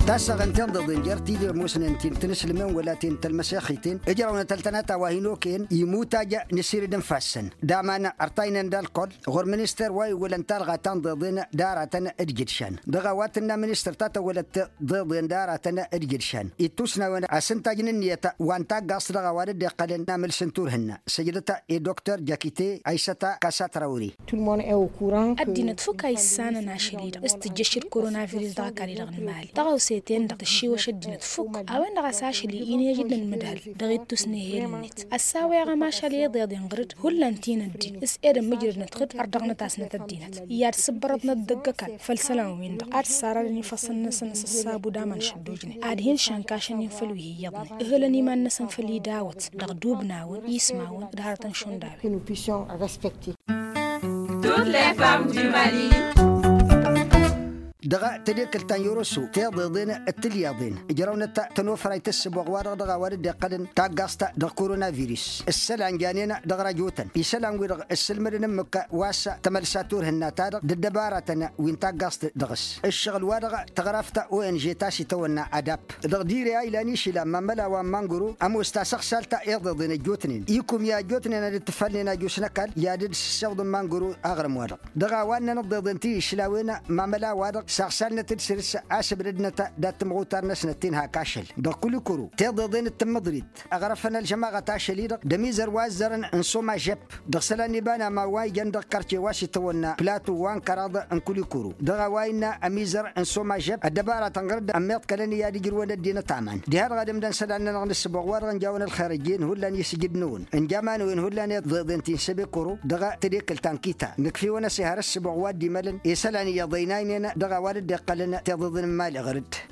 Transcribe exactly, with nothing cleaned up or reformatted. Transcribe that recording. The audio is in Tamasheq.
Tasăɣ n-tinḍeḍen jer-ti d-ămoosnen ti n-tinǝslǝmen wăla ti n-tălmăsexiten ǝjrăwnăt ăltănata wa hin-okăyăn imutaj n-asirid n-ifassăn d-aman ărtaynen d-alkol ɣur-minister wa iwwălăn talɣa ta n-deḍen d-aratăn d-jǝdšan dăɣ-a-wa tǝnna minister ta tăwwălăt deḍen d-aratăn d-jǝdšan ittusnawen asǝntaj n-ǝnniyăt wa n-taggaẓt dăɣ-a-wa dd-iqqălăn amǝls n-turhǝnna săjdăt i-doktor jakite aysăta kasa trawri. Ăddinăt fukk a issanăn ašăl-i-dăɣ s-tǝjjăš d-koronavirus dăɣ-ăkall-i-dăɣ n-imali tăɣawse-ten-dăɣ tǝššiwăš ăddinăt fukk a-wen-dăɣ a-s ašăl-i inǝyăj d-inǝmǝdhal dăɣ-ittus n-ehel-net ăssawăyăɣ ămašal i-iḍeḍen ɣǝr-dd hullan ti n-ăddin s-edăn mǝjrădnăt ɣǝr-dd ărdăɣnăt-asnăt ăddinăt i-ad-sǝbbărăḍnăt dăgg-ăkall făll-isălan-win-dăɣ ad-sarrădăn ifassăn-năsăn s-ăṣṣabu d-aman šăddojnen ad-hin-šănkăšăn-in făll-wi hi-iyyăḍnen ǝhǝlăn iman-năsăn făll-idawăt dăɣ-dubnawăn ismawăn d-hărătăn šund a-wen. Dăɣ-tedekǝlt ta n-yoroso tiḍeḍen d-tilyaḍen ǝjrăwnăt tănofrayt s-sǝboɣ-wa-dăɣ dăɣ-a-wa dd-iqqălăn taggaẓt dăɣ-koronavirus ǝssălan janen dăɣ-rajotăn isălan-wi-dăɣ ǝssǝlmădăn ǝmmǝk wa s-tămălsa turhǝnna-ta-dăɣ d-ăddăbaratăn wi n-taggaẓt dăɣ-s ǝššăɣǝl-wa-dăɣ tăɣraft ong ta s-itawănna adap dăɣ-dire a ilan išila n-imămăla wa n-mangoro ămoos tasăɣsalt iḍeḍen ăjjootnen ikum i-ăjjootnen ad-dd-tǝfalnen ajus n-ăkall i-ad-dd-sǝssewḍǝn mangoro aɣrǝm-wa-dăɣ dăɣ-a-wa ǝnnăn ǝḍḍeḍen ti išlawen mamăla-wa-dăɣ saɣsalnăt-dd săr-s asǝbdădnăt dat-timɣutar-năsnăt ti n-hak ašăl dăɣ-kulikuru tiḍeḍen d-tǝmmǝḍrit ăɣrăfăn ălžămaɣăt ašăl-i-dăɣ d-ămizăr wa ăzzărăn n-somajep dăɣ-isălan n-iba n-aman wa ijăn dăɣ-kărce wa s-itawănna plato wa n-kăraḍ n-kulikuru dăɣ-a-wa innă ămizăr n-somajep ăddăbaratăn ɣǝr-dd ămmiḍkălăn i-ad-ǝjrǝwăn ăddinăt aman diha-dăɣ ad-ǝmdăn isălan-nănăɣ n-ǝssǝboɣ wa-dăɣ ǝnjawăn ălxer ăjjeen hullan isǝjǝd-năwăn ǝnjamăn-wen hullan iḍeḍen ti n-sebekoro dăɣ-tedekǝlt ta n-kita nǝkf'-iwăn ăsihăr ǝssǝboɣ wa dd-imălăn isălan iyyăḍ ăynaynen dăɣ-a-wa dd-iqqălăn tiḍeḍen n-imali ɣǝr-dd.